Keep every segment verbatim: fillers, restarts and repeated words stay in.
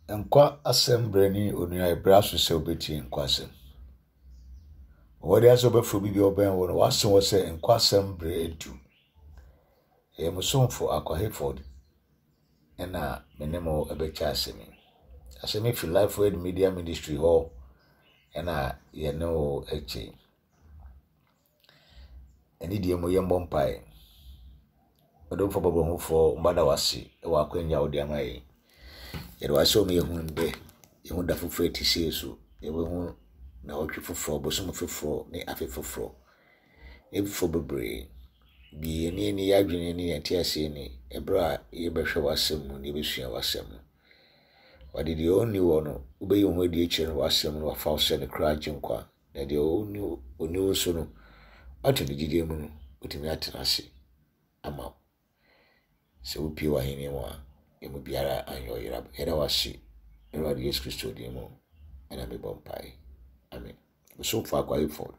Nkwa asɛm brɛ ne onua ɛbrɛ aso sɛ wobɛtie nkwa asɛm. Wɔde asɛ wobɛfrɛ obi bi a ɔbɛn wo no wase wɔ sɛ nkwa asɛm brɛ adu. Ɛyɛ mo somfo Akwa Hayford ɛna me ne mo ɛbɛkyɛ asɛm yi. Asɛm yi fi Life Word Media Ministry hɔ ɛna yɛne wo ɛkyɛ. Ɛne deɛ mu yɛmmɔ mpae. Ɔdomfo bɔbɔhufoɔ mbada wase ɛwɔ akwanya a wode ama yɛn. Yɛde wase ɔmo yɛhu ndɛ, yɛhu da foforɔ ɛte sei so, yɛbɛhu nnawɔtwe foforɔ, bosom foforɔ ne afe foforɔ. Ebifoɔ bebree. Bi yɛn ani yɛ adwene ne yɛn nteaseɛ ni ɛberɛ a yɛbɛhwɛ w'asɛm mu na yɛbɛsua w'asɛm no. Wɔde deɛ ɔnni wɔ no, wobɛyi wo ho adi akyerɛ no w'asɛm no wafa wo sɛ ne kra agye nkwa. Na deɛ ɔnni ɔnni wo so no, wato ne gyidie mu no, wotumi atena ase ama wo. Sɛ wopie w'ahenni mu a, emu biara anyɛ ɔyera. Yɛda wase Awurade Yesu Kristo din mu ɛna mebɔ mpae. Amen. Bosomfo Akwa Hayford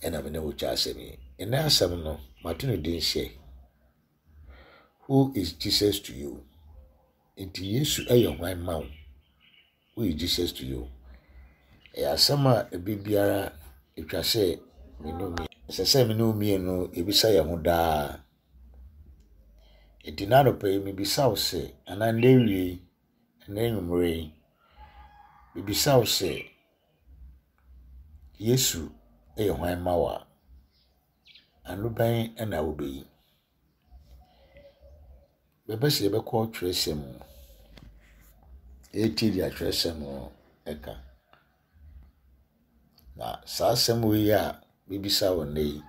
ɛna me ne wo kyɛ asɛm yi. Ɛnɛ asɛm no, mato no din sɛ Who is Jesus to you? Nti Yesu ɛyɛ hwan ma wo? Who is Jesus to you? Ɛyɛ asɛm a ebi biara etwa sɛ me ne wo ɛsɛ sɛ me ne wo mmienu ebisa yɛn ho daa. Nti n'anɔpa yi mebisa wo sɛ anaa nnɛ awie yi, nnɛ anwummerɛ yi, mebisa wo sɛ Yesu ɛyɛ hwan ma wo a, ano bɛn ɛna wobɛyi? Bɛbɛ sɛ yɛbɛkɔ twerɛsɛm mu. Yɛtie deɛ atwerɛsɛm no ɛka. Na saa asɛm wei a mebisa wo nnɛ yi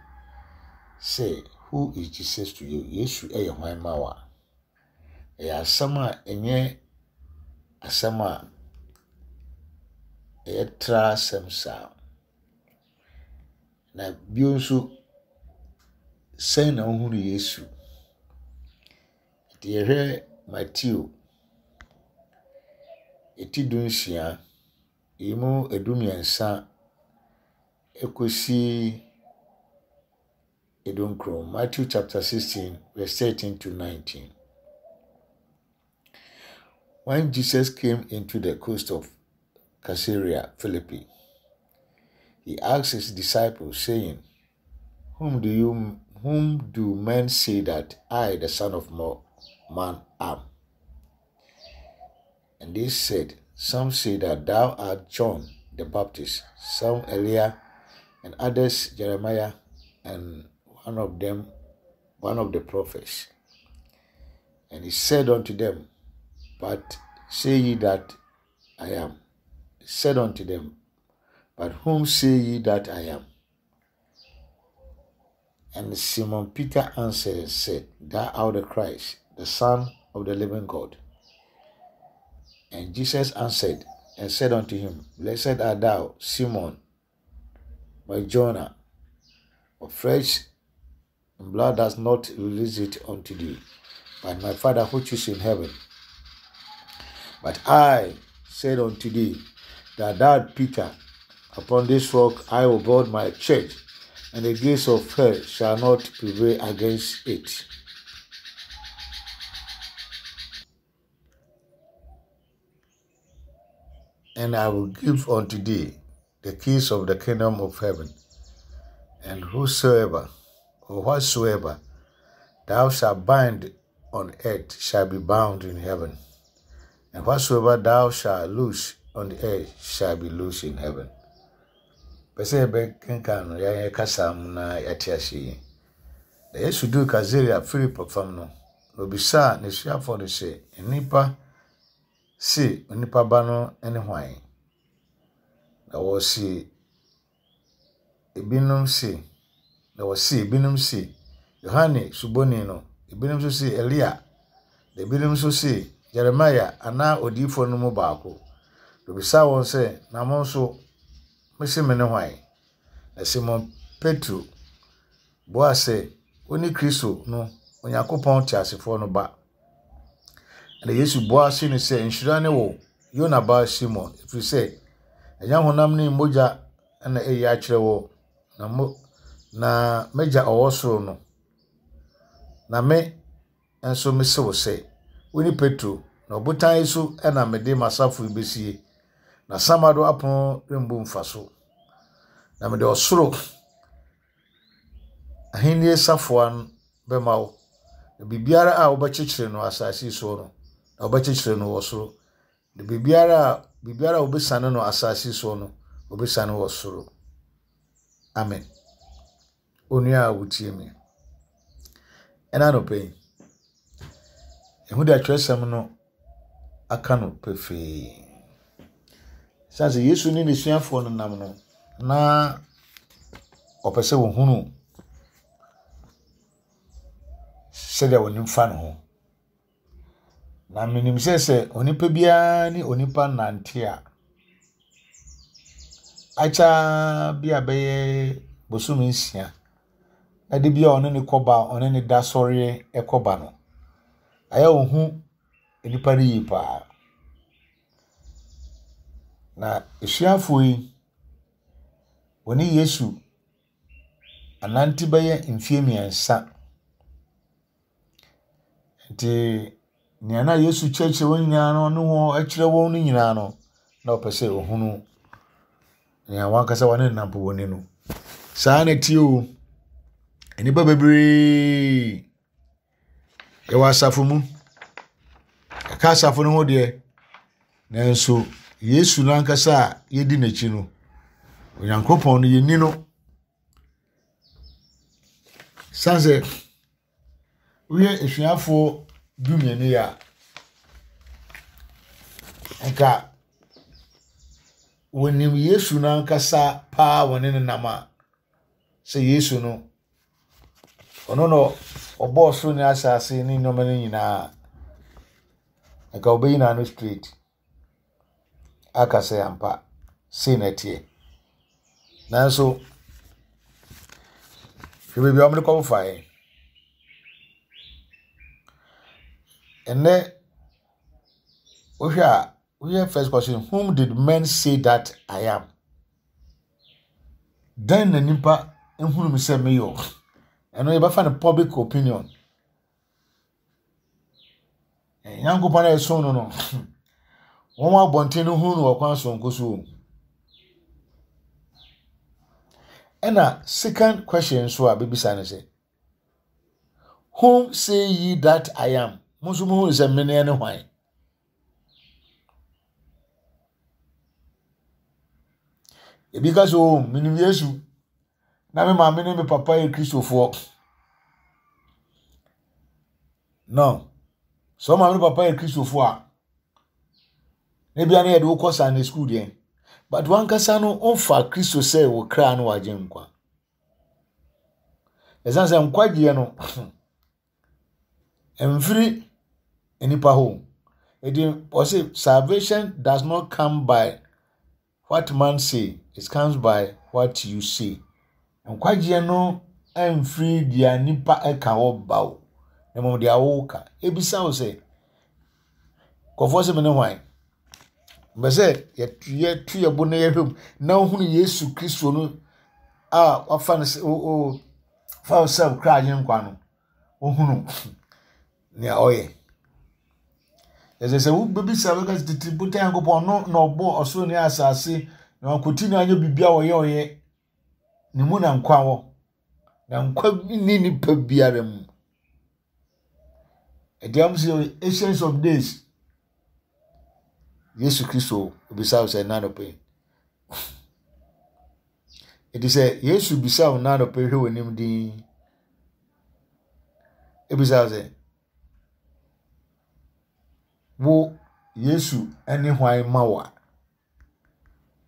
sɛ who is Jesus to you? Yesu ɛyɛ hwan ma wo a? Ɛyɛ asɛm a ɛnyɛ asɛm a ɛyɛ tra asɛm saa. Na bio nso, sɛn na wohunu Yesu? Nti yɛhwɛ Mateo eti du nsia, emu edu mmiɛnsa ekosi edu nkron. Matthew chapter sixteen verse thirteen to nineteen. When Jesus came into the coast of Caesarea Philippi, he asked his disciples, saying, Whom do you whom do men say that I, the Son of Man, am? And they said, Some say that thou art John the Baptist, some Elias, and others Jeremiah, and one of them, one of the prophets. And he said unto them, But say ye that I am. He said unto them, But whom say ye that I am? And Simon Peter answered and said, Thou art the Christ, the Son of the living God. And Jesus answered and said unto him, Blessed art thou, Simon, Bar-Jonah, for flesh and blood does not release it unto thee, but my Father which is in heaven. But I said unto thee, that thou, Peter, upon this rock I will build my church, and the gates of hell shall not prevail against it. And I will give unto thee the keys of the kingdom of heaven. And whosoever or whatsoever thou shalt bind on earth shall be bound in heaven. And whatsoever thou shalt loose on the earth shall be loose in heaven. Pɛ sɛ yɛbɛkenkan no yɛayɛ kasa mu na yɛate ase yi. Na Yesu duu Kaesarea Filipo fam no, na obisaa n'asuafoɔ no sɛ, nnipa se onipa ba no ne hwan? Na wɔse ebinom se, na wɔse ebinom se Yohane Suboni no, ebinom nso se Elia, na ebinom nso se Jeremia anaa odiyifoɔ no mu baako. Na obisaa wɔn sɛ, na mo nso, mose me ne hwan? Na Simon Petro buaa sɛ, wone Kristo no, Onyankopɔn teasefoɔ no ba. Na Yesu buaa se no sɛ, nhyira ne wo, Yona ba Simon, ɛfiri sɛ ɛnyɛ honam ne mogya na ɛyi akyerɛ wo, na mo na m'agya ɔwɔ soro no. Na me nso mese wo sɛ, wone Petro, na Na ɔbotan yi so na mede m'asafo yi besie, na samado apono rembu mfa so. Na mede ɔsoro ahenni safoa bɛma wo. Na biribiara a wobɛkyekyere no asase soɔ no, na wobɛkyekyere no wɔ soro. Na biribiara a biribiara a wobɛsane no asase soɔ no, wobɛsane wɔ soro. Amen. Onua a wotie me. Ɛna anɔpa yi, ɛho de atwerɛsɛm no aka no pefee. Sane sɛ Yesu ne n'asuafoɔ no nam no, na ɔpɛ sɛ wɔhunu sɛdeɛ wɔnim fa ne ho. Na menim sɛ sɛ onipa biara ne onipa nante a, akyɛ bi a bɛyɛ bosome nsia, na de bi a ɔne ne kɔba, ɔne ne da sɔreɛ kɔba no, ayɛ ohu nipa no yie paa. Na asuafoɔ yi, wɔne Yesu anante bɛyɛ mfeɛ mmiɛnsa. Nti nea na Yesu kyerɛkyerɛ wɔn nyinaa no, ɔne wɔn kyerɛ wɔn no nyinaa no, na ɔpɛ sɛ ohunu nea wɔn ankasa wɔne no nam po wɔ ni no. Saa na ɛteɛ o. Nnipa bebree yɛwɔ asafo mu. Yɛka asafo no ho deɛ, nanso Yesu no ankasa a yɛdi n'akyi no, Onyankopɔn no yɛnni no. San sɛ woyɛ asuafoɔ dumienu yi a, nka wɔnim Yesu no ankasa paa wɔne no nam a, sɛ Yesu no, ɔno na ɔbɔɔ soro ne asase ne nneɛma no nyinaa, nka ɔbɛyi n'ano straight aka sɛ ampa sei na ɛteɛ. Nanso, hwɛ baabi a wɔde kɔfaeɛ. Ɛnnɛ, wohwɛ a, woyɛ first question, whom did men say that I am? Dɛn na nipa ehunu me sɛ meyɛ o? Ɛno yɛbɛfa no public opinion. Nyankopɔn a ɛsom no no, wɔn abɔnten no hunu no wɔ kwan sononko so o. Ɛna second question nso a bebisa no sɛ, whom say ye that I am? Mo nso muhunu sɛ mene ne hwan? Ebi ka sɛ, oh, menim Yesu. Na me maame ne me papa yɛ Kristofoɔ. No. Sɛ wo maame ne papa yɛ Kristofoɔ a, na ebia na yɛde wo kɔ Sunday school deɛ. But wankasa no, womfa Kristo sɛ wo kra ne wagye nkwa. Ɛsiane sɛ nkwagyeɛ no, mfiri nnipa hɔ. Enti ɔse salvation does not come by what man say, it comes by what you say. Nkwagyeɛ no mfiri deɛ nipa ɛka hɔ ba o, na mmom deɛ woka. Ebisa wo sɛ, nkurɔfoɔ sɛ me ne hwan? Mbɛ sɛ yɛtu yɛ bo na yɛhwɛ mu na wohunu Yesu Kristo no a wafa no sɛ o o fa wo sɛ kra agye nkwa no, wohunu nea ɔyɛ. Ɛsɛ sɛ wobɛbisa bɛka sɛ tete botan Nyankopɔn no na ɔbɔɔ ɔsoro ne asase na wankɔti no anyɛ biribi a ɔyɛ ɔyɛ. Ne mu na nkwa wɔ. Na nkwa nni nipa biara mu. Ɛdeɛ wɔn sɛ ancient of days. Yesu Kristo bisa wo sɛ nna anɔpa yi. Ɛti sɛ Yesu bisa wo nna anɔpa yi hwɛ w'anim din. Ebisa wo sɛ wo Yesu ne hwan ma wo a,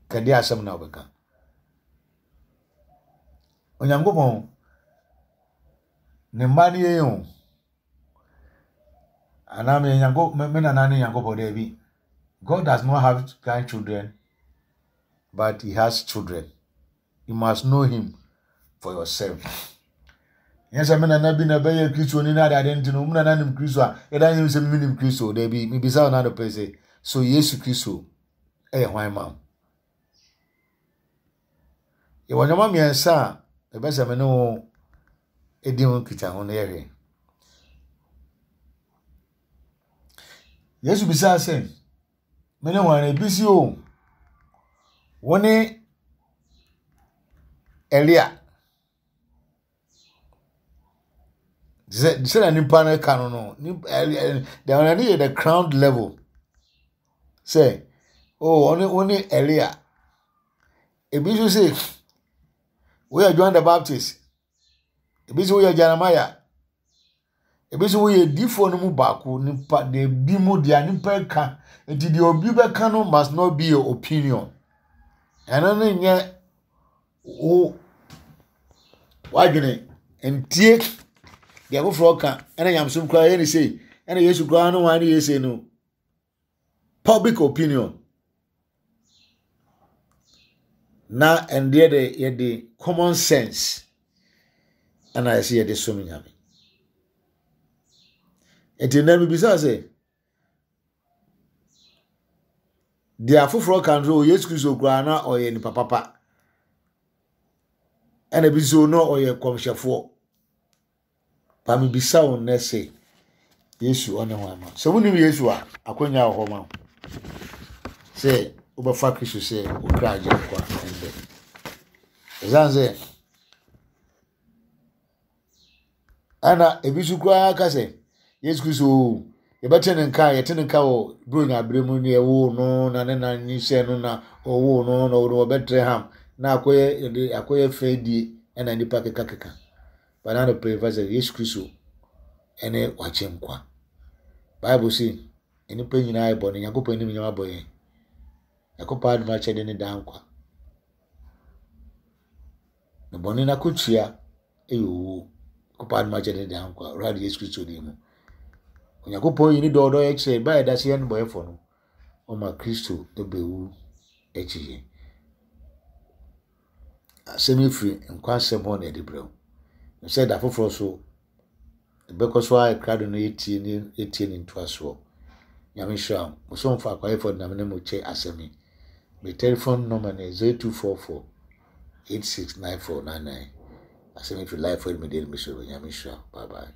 kɛde asɛm na wobɛka. Onyankopɔn ne mma ne yɛn o. Anaa me Nyanko me nana ne Nyankopɔn daabi. God does not have grandchildren, but he has children. You must know him for yourself. Nyɛ sɛ me nana bi na ɛbɛyɛ Kristoni na ade nti no, me nana nim Kristo a, yɛda nyim sɛ me nim Kristo. Daabi, mebisa wo na adɔpɛ sɛ, so Yesu Kristo ɛyɛ hwan ma wo? Yɛwɔ nneɛma mmiɛnsa a ɛbɛ sɛ me ne wo di ho nkitaho no yɛhwɛ. Yesu bisaa sɛ, mene hwan? Ebi si o, wo ne Elia. Sɛ sɛdeɛ nipa no ka no no, deɛ ɔno yɛ the crown level. Sɛ, oh, ɔne wo ne Elia. Ebi nso sɛ, woyɛ John the Baptist. Ebi nso woyɛ Jeremiah. Ebi nso woyɛ difoɔ no mu baako. Nipa deɛ bi mu deɛ nipa ka. Nti deɛ obi bɛka no must not be your opinion. Ɛno no nyɛ wo wadwene ntie deɛ foforɔ ka ɛna nyamesom koraa yɛ ne sei ɛna Yesu koraa no wɔn ne yɛ sei no public opinion na ɛndeɛ de yɛde common sense ɛna yɛsɛ yɛde som Nyame. Nti nnɛ mebisa sɛ deɛ afoforɔ ka no Yesu Kristo koraa na ɔyɛ nipa papa ɛna bi nso na ɔyɛ kɔmhyɛfoɔ. Pa mebisa wo nnɛ sɛ Yesu ɔne ho ama. Sɛ wonim Yesu a, akwanya wɔ hɔ ma wo sɛ wobɛfa Kristo sɛ wo kra agyenkwa ɛndɛ. Ɛsiane sɛ ɛna ebi nso koraa ka sɛ Yesu Kristo o, yɛbɛte ne nka, yɛte ne nka wɔ Buronya abere mu ne ɛwoo no na ne na nyinsɛn no na ɔwoo no na ɔwoo no wɔ Bethlehem na akɔyɛ yɛde akɔyɛ fɛdie ɛna nipa kekakeka. Bana no pere fa sɛ Yesu Kristo ɛne wakye nkwa. Bible se nnipa nyinaa yɛ bɔne, Nyankopɔn anim nyinaa abɔ yɛn. Nyankopɔn adom akyɛde ne daa nkwa. Na bɔne n'akotua ɛyɛ owuo. Nyankopɔn adom akyɛde ne daa nkwa. Awurade Yesu Kristo din mu. Onyankopɔn yi ne dɔ ɔdɔ yɛ kyerɛ ba yɛda sɛ yɛn bɔyɛfo no. Ɔma Kristo ɛbɛwu akyi yɛn. Asɛm yi firi nkwa asɛm hɔ na yɛde brɛ wo. Sɛ da foforɔ so ɛbɛkɔ so ayɛ krado no yɛtie ne yɛtie ne ntoasoɔ. Nyame nhyira wo. Mosomfo akwayɛfoɔ de nam ne mo kyɛ asɛm yi. Me telephone number ne zero two four four eight six nine four nine nine. Asɛm yi firi Life Word Media Ministry. Nyame nhyira wo. Bye bye.